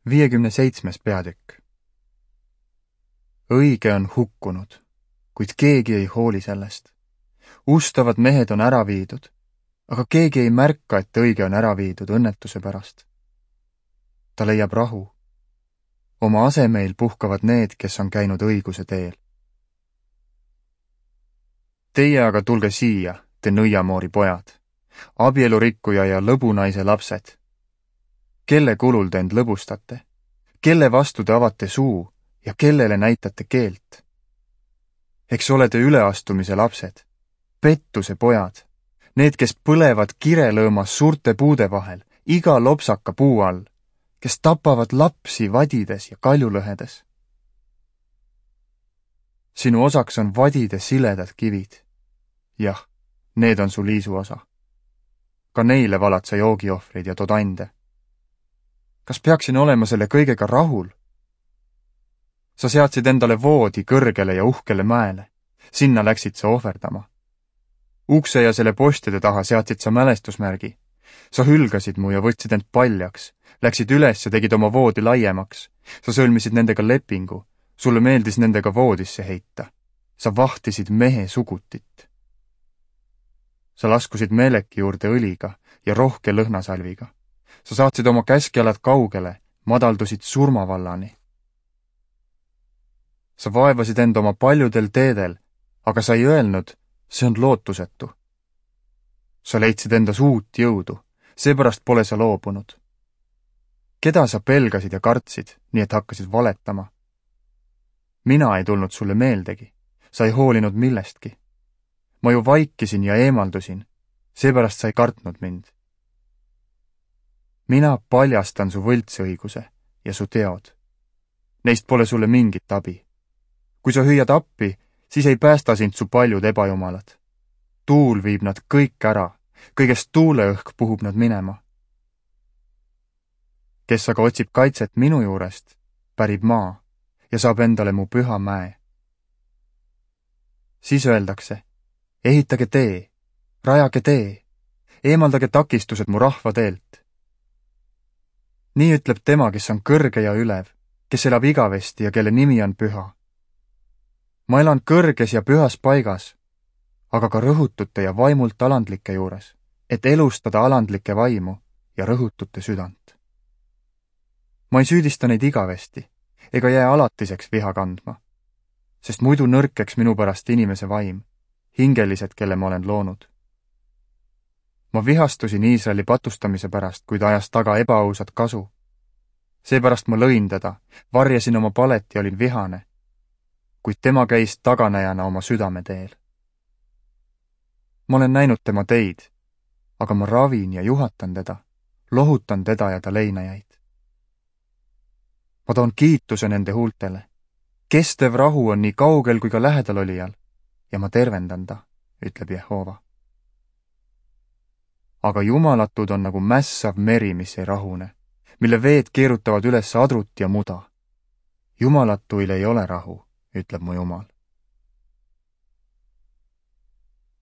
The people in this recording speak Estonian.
57. peatükk. Õige on hukkunud, kuid keegi ei hooli sellest. Ustavad mehed on ära viidud, aga keegi ei märka, et õige on ära viidud õnnetuse pärast. Ta leiab rahu. Oma asemeil puhkavad need, kes on käinud õiguse teel. Teie aga tulge siia, te nõiamoori pojad, abielurikkuja ja lõbunaise lapsed. Kelle kulul te end lõbustate? Kelle vastu te avate suu ja kellele näitate keelt? Eks olete üleastumise lapsed, pettuse pojad, need, kes põlevad kirelõõmas suurte puude vahel, iga lopsaka puu all, kes tapavad lapsi vadides ja kaljulõhedes. Sinu osaks on vadide siledad kivid. Jah, need on su liisu osa. Ka neile valad sa joogiohvreid ja tood ande. Kas peaksin olema selle kõigega rahul? Sa seadsid endale voodi kõrgele ja uhkele mäele. Sinna läksid sa ohverdama. Ukse ja selle postide taha seadsid sa mälestusmärgi. Sa hülgasid mu ja võtsid end paljaks. Läksid üles ja tegid oma voodi laiemaks. Sa sõlmisid nendega lepingu. Sulle meeldis nendega voodisse heita. Sa vahtisid mehe sugutit. Sa laskusid meeleki juurde õliga ja rohke lõhnasalviga. Sa saatsid oma käskjalad kaugele, madaldusid surmavallani. Sa vaevasid end oma paljudel teedel, aga sa ei öelnud, see on lootusetu. Sa leidsid endas uut jõudu, seepärast pole sa loobunud. Keda sa pelgasid ja kartsid, nii et hakkasid valetama? Mina ei tulnud sulle meeldegi, sa ei hoolinud millestki. Ma ju vaikisin ja eemaldusin, seepärast sa ei kartnud mind. Mina paljastan su võltsõiguse ja su teod. Neist pole sulle mingit abi. Kui sa hüüad appi, siis ei päästa sind su paljud ebajumalad. Tuul viib nad kõik ära, kõigest tuuleõhk puhub nad minema. Kes aga otsib kaitset minu juurest, pärib maa ja saab endale mu püha mäe. Siis öeldakse, ehitage tee, rajage tee, eemaldage takistused mu rahva teelt. Nii ütleb tema, kes on kõrge ja ülev, kes elab igavesti ja kelle nimi on püha. Ma elan kõrges ja pühas paigas, aga ka rõhutute ja vaimult alandlike juures, et elustada alandlike vaimu ja rõhutute südant. Ma ei süüdista neid igavesti, ega jää alatiseks viha kandma, sest muidu nõrkeks minu pärast inimese vaim, hingelised, kelle ma olen loonud. Ma vihastusin Iisraeli patustamise pärast, kui ta ajas taga ebaausat kasu. Seepärast ma lõin teda, varjasin oma palet ja olin vihane, kuid tema käis taganäjana oma südame teel. Ma olen näinud tema teid, aga ma ravin ja juhatan teda, lohutan teda ja ta leinajaid. Ma toon kiituse nende huultele. Kestev rahu on nii kaugel kui ka lähedal olijal ja ma tervendan ta, ütleb Jehova. Aga jumalatud on nagu mässav meri, mis ei rahune, mille veed keerutavad üles adrut ja muda. Jumalatuil ei ole rahu, ütleb mu Jumal.